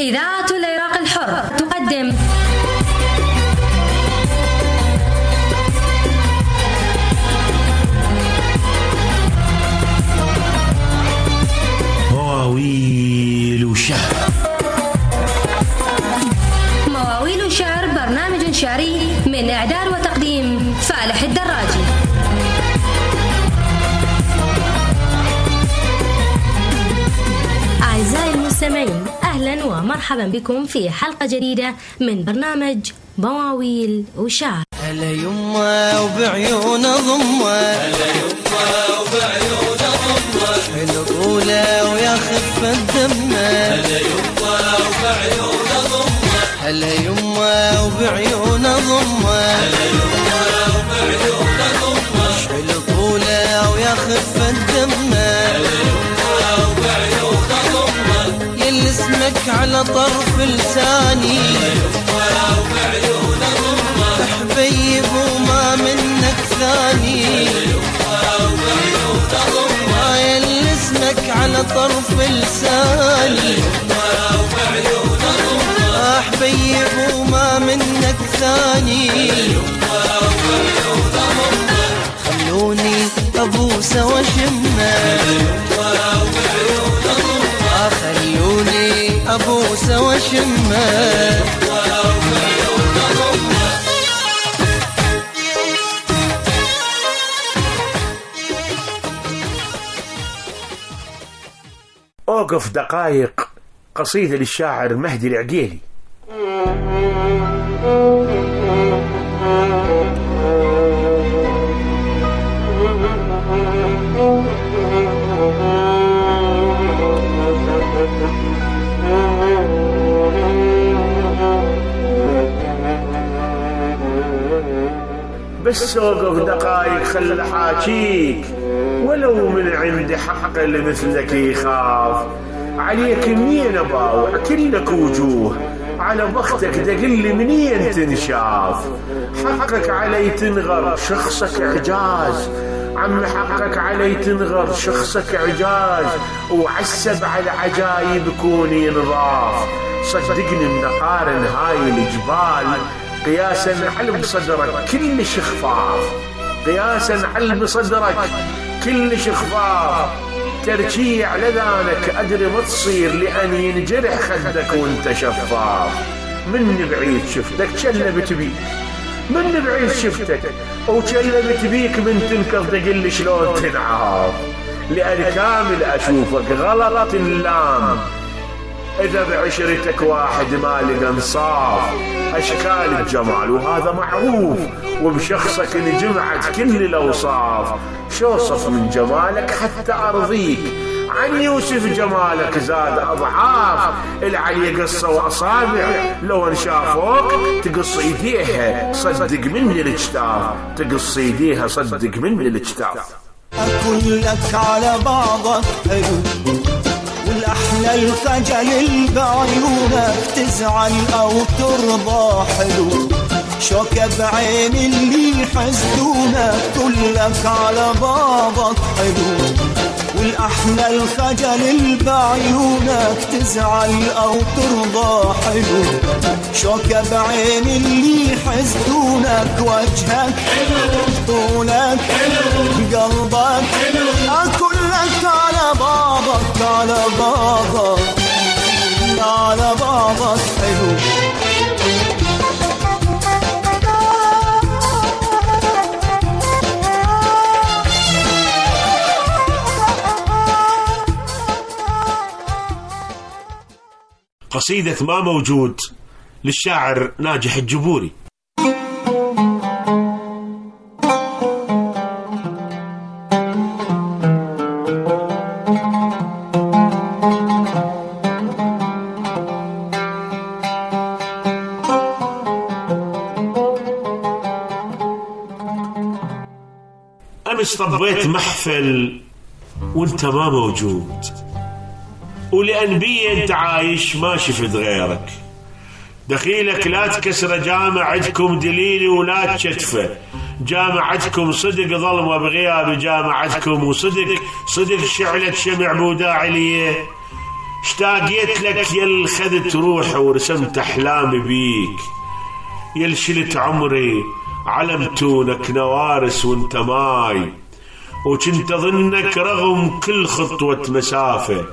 إذاعة العراق الحر تقدم مواويل شعر. مواويل شعر برنامج شعري من إعداد وتقديم فالح الدراجي. أعزائي المستمعين، أهلا ومرحبا بكم في حلقة جديدة من برنامج مواويل وشعر. هلا يما وبعيون ضمة، هلا يما وبعيون ضمة، حلو طوله ويا خفة دمه، هلا يما وبعيون ضمة، هلا يما وبعيون ضمة، هلا يما وبعيون ضمة، حلو طوله ويا خفة دمه، هلا يما وبعيون ضمة، يل اسمك على طرف لساني، هلا يما وبعيون ضمة، حبيب وما منك ثاني، يل اسمك على طرف لساني، حبيب وما منك ثاني، خلوني ابوس واشمه، خلوني ابوس واشمه. أوقف دقائق، قصيدة للشاعر مهدي العقيلي. بس أوقف دقائق خل حاجيك، ولو من عند حق اللي مثلك يخاف، عليك منين أباوع كلك وجوه، على بختك دقل منين تنشاف، حقك علي تنغر شخصك إعجاز، عم حقك علي تنغر شخصك إعجاز، وعسب على عجايب كوني نضاف، صدقني النقارن هاي الجبال، قياسا على بصدرك كل شخفاف، قياسا على بصدرك كل شخفاف، ترجيع لذانك أدري ما تصير لأن ينجرح خدك وانت شفاف، من بعيد شفتك شلبت بيك، من بعيد شفتك وشلبت بيك، من تنكر تقل شلون تنعاف، لأن كامل أشوفك غلط اللام، إذا بعشرتك واحد ما لقى انصاف، أشكال الجمال وهذا معروف، وبشخصك انجمعت كل الأوصاف، شوصف من جمالك حتى أرضيك، عن يوسف جمالك زاد أضعاف، العلي قصة وأصابع لو انشافوك تقص إيديها صدق مني الاجتاف، تقص إيديها صدق مني الاجتاف. أقول لك على بعضك حلو، والأحلى الخجل بعيونك تزعل أو ترضى حلو، شوكة بعين اللي حسدونك كلك على بعضك حلو، والأحلى الخجل بعيونك تزعل أو ترضى حلو، شوكة بعين اللي حسدونك وجهك حلو، طولك حلو، قلبك حلو، كلك على بعضك على بعضك على بعضك حلو. قصيدة ما موجود للشاعر ناجح الجبوري. أمس طبيت محفل وانت ما موجود، ولأن بي انت عايش ما شفت غيرك، دخيلك لا تكسر جامع عندكم دليلي ولا تشتفه، جامعتكم صدق ظلمة بغياب جامعتكم، وصدق شعلة شمع بوداع ليه، اشتاقيت لك يل خذت روحي ورسمت احلامي بيك، يل شلت عمري علمتونك نوارس وانت ماي، وكنت اظنك رغم كل خطوة مسافة،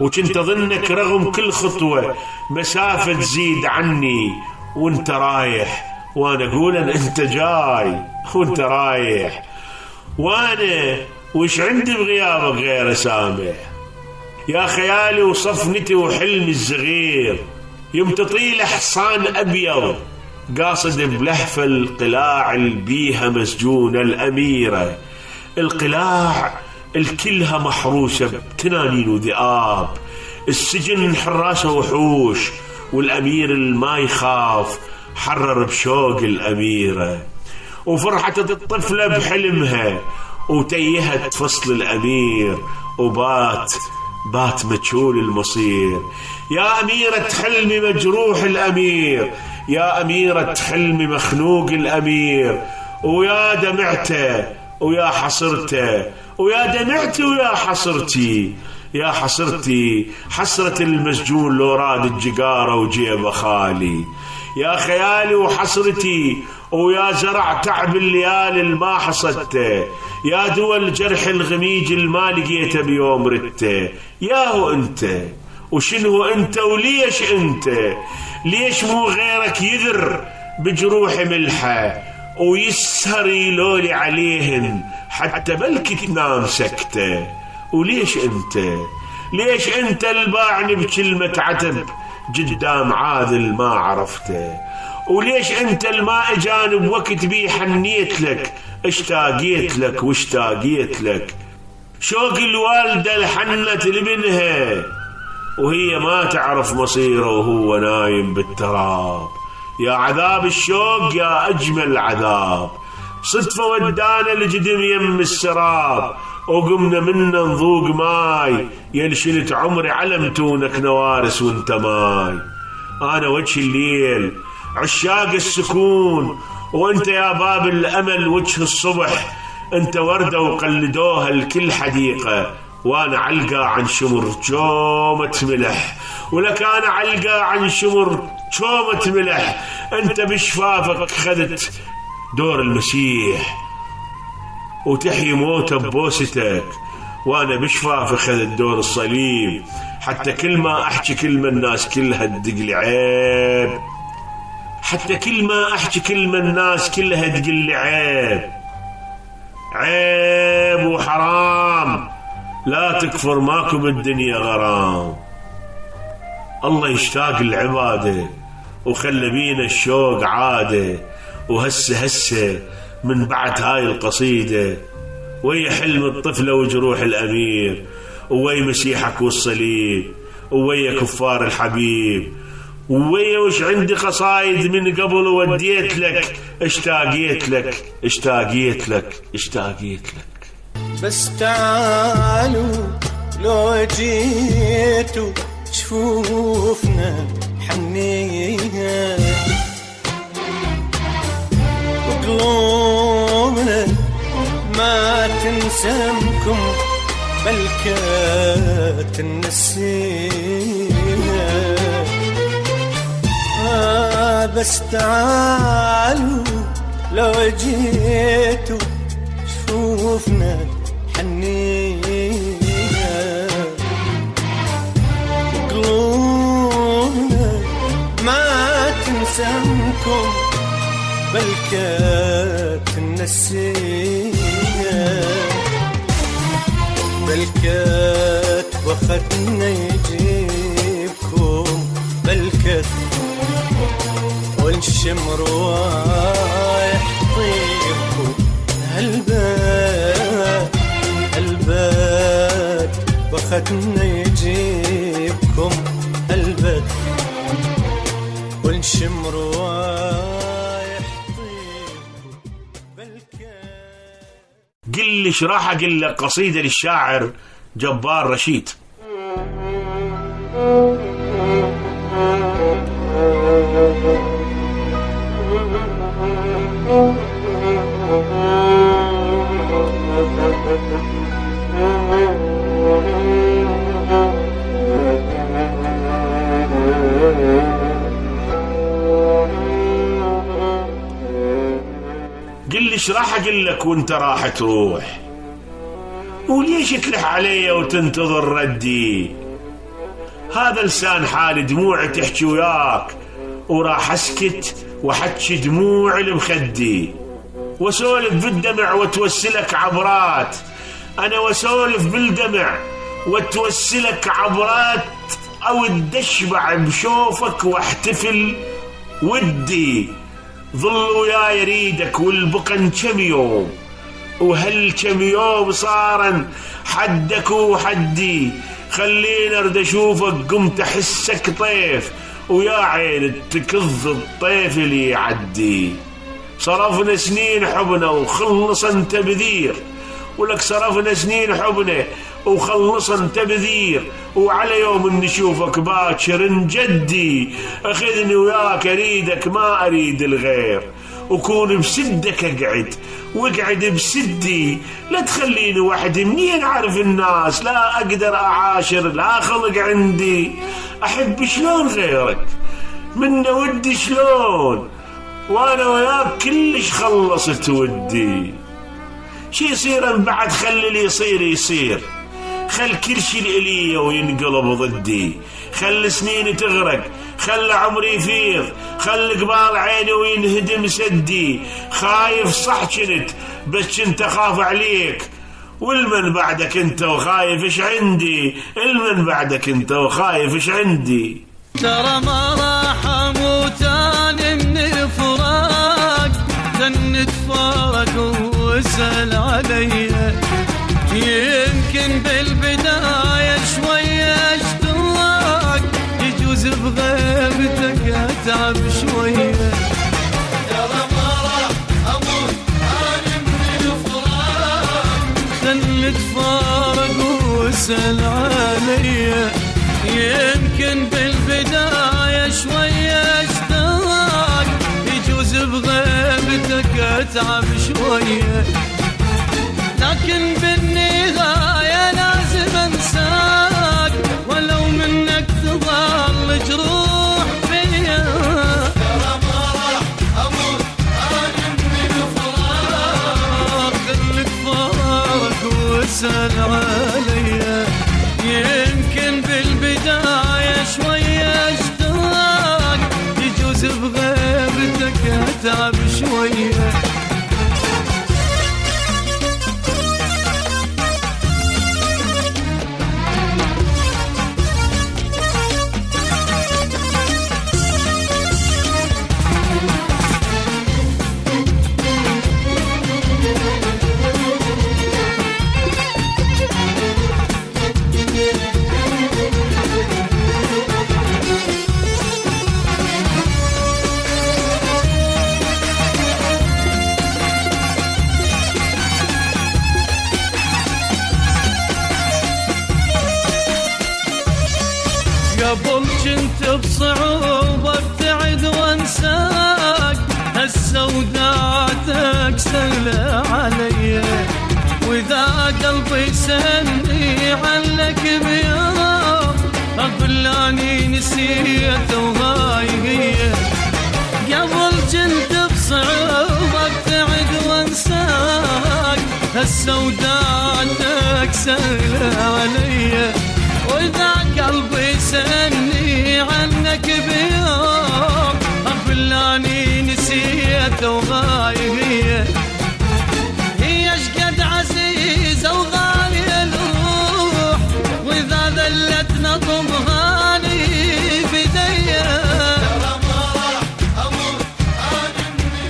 وكنت اظنك رغم كل خطوة مسافة تزيد عني وانت رايح، وانا اقول ان انت جاي وانت رايح، وانا وش عندي بغيابك غير اسامح؟ يا خيالي وصفنتي وحلمي الصغير، يوم تطيل حصان ابيض قاصد بلهفة القلاع البيها مسجونة الاميرة، القلاع الكلها محروسة بتنانين وذئاب، السجن حراسة وحوش، والامير الما يخاف حرر بشوق الاميرة، وفرحة الطفلة بحلمها وتيهت فصل الامير، وبات مجهول المصير. يا أميرة حلمي مجروح الأمير، يا أميرة حلمي مخنوق الأمير، ويا دمعته ويا حصرته، ويا دمعتي ويا حصرتي، يا حصرتي حسرة المسجون لو راد الجقارة وجيبه خالي، يا خيالي وحسرتي ويا زرع تعب الليالي الما حصدته، يا دول جرح الغميج الما لقيته بيوم رته. يا هو انت وشنو انت وليش انت؟ ليش مو غيرك يذر بجروح ملحه ويسهر يلولي عليهن حتى بلكي تنام سكته؟ وليش انت؟ ليش انت الباعني بكلمة عتب قدام عاذل ما عرفته؟ وليش انت الما اجاني بوقت بيه حنيت لك، اشتاقيت لك واشتاقيت لك، شوق الوالدة الحنت لبنها وهي ما تعرف مصيره وهو نايم بالتراب. يا عذاب الشوق يا أجمل عذاب، صدفة ودانا لجدم يم السراب، وقمنا منا نذوق ماي، يلشلت عمري علمتونك نوارس وانت ماي. أنا وجه الليل عشاق السكون، وانت يا باب الأمل وجه الصبح، انت وردة وقلدوها لكل حديقة، وانا علقة عن شمر جومة ملح، ولك انا علقة عن شمر جومة ملح. انت بشفافك خذت دور المسيح وتحيي موته ببوستك، وانا بشفافي خذت دور الصليب، حتى كل ما احكي كلمة الناس كلها تدقلي عيب، حتى كل ما احكي كلمة الناس كلها تقلي عيب، عيب وحرام، لا تكفر ماكو بالدنيا غرام. الله يشتاق العبادة وخلى بينا الشوق عادة، وهسه من بعد هاي القصيدة ويا حلم الطفلة وجروح الأمير، ويا مسيحك والصليب، ويا كفار الحبيب، ويا وش عندي قصايد من قبل وديت لك، اشتاقيت لك اشتاقيت لك اشتاقيت لك. بس تعالوا لو جيتوا شفوفنا حنية، وقلوبنا ما تنسمكم بل كانت النسيمة. بس تعالوا لو جيتوا شفوفنا حنية، وقلوبنا ما تنسمكم بل كانت النسية، بل كانت وخدنا يجيبكم بل كانت والشمر رايح طيبكم هالباد وخدنا يجيبكم هالباد والشمر رايح طيبكم بالكاد. قل لي شراحة، قل لك قصيدة للشاعر جبار رشيد. ايش راح اقول لك وانت راح تروح؟ وليش تلح علي وتنتظر ردي؟ هذا لسان حالي دموعي تحكي وياك، وراح اسكت وحكي دموع المخدي، واسولف بالدمع وتوسلك عبرات. انا واسولف بالدمع وتوسلك عبرات، او اشبع بشوفك واحتفل ودي. ظل وياي يريدك والبقن كم يوم، وهل كم يوم صارن حدك وحدي. خليني ارد اشوفك قمت احسك طيف، ويا عين تكظ الطيف اللي يعدي. صرفنا سنين حبنا وخلصن تبذير، ولك صرفنا سنين حبنا وخلصن تبذير، وعلى يوم نشوفك باكر نجدي. اخذني وياك اريدك ما اريد الغير، وكون بسدك اقعد واقعد بسدي. لا تخليني وحدي منين اعرف الناس، لا اقدر اعاشر لا خلق عندي. احب شلون غيرك منا ودي شلون، وانا وياك كلش خلصت ودي. شي يصير بعد خلي اللي يصير يصير، خل كل شي الي وينقلب ضدي. خل سنيني تغرق، خل عمري يفيض، خل قبال عيني وينهدم سدي. خايف صح كنت بس كنت اخاف عليك، والمن بعدك انت وخايف ايش عندي. المن بعدك انت وخايف ايش عندي. ترى ما راح اموت انا من الفراق، نتفارق واسأل علي. يمكن بالبداية شوية اشتراك، يجوز بغيبتك اتعب شوية. ترى ما راح اموت انا من الفراق، نتفارق واسأل علي. يمكن بالبداية شوية اشتراك، يجوز بغيبتك اتعب شوية. لكن بالنهاية لازم انساك، ولو منك تظل جروح فيا. ترى ما راح اموت انا من الفراق، خليك فارق واسأل عليا. يمكن بالبداية شوية اشتراك، يجوز بغيبتك اتعب شوية. قبل كنت بصعوبة ابتعد وانساك، هسه وداعتك سهلة علي. واذا قلبي سني عنك بيوم، اقول اني نسيت وهاي هي. قبل كنت بصعوبة ابتعد وانساك، هسه وداعتك سهلة علي. واذا قلبي سني عنك بيوم، اقول اني نسيت وغايبيه. هي اشقد عزيزه وغاليه الروح، واذا ذلت نظمها لي بديه. ترى ما راح اموت انا من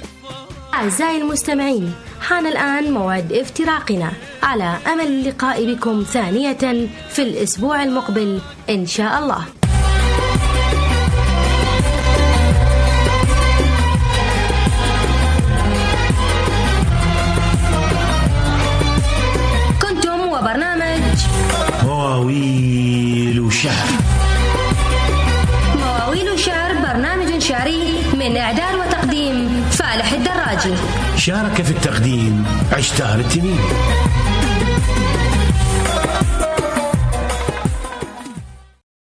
الفراق. أعزائي المستمعين، حان الآن موعد افتراقنا، على أمل اللقاء بكم ثانية في الأسبوع المقبل إن شاء الله. كنتم وبرنامج مواويل وشعر. مواويل وشعر، برنامج شعري من إعداد وتقديم فالح الدراجي. شارك في التقديم عشتار التميمي.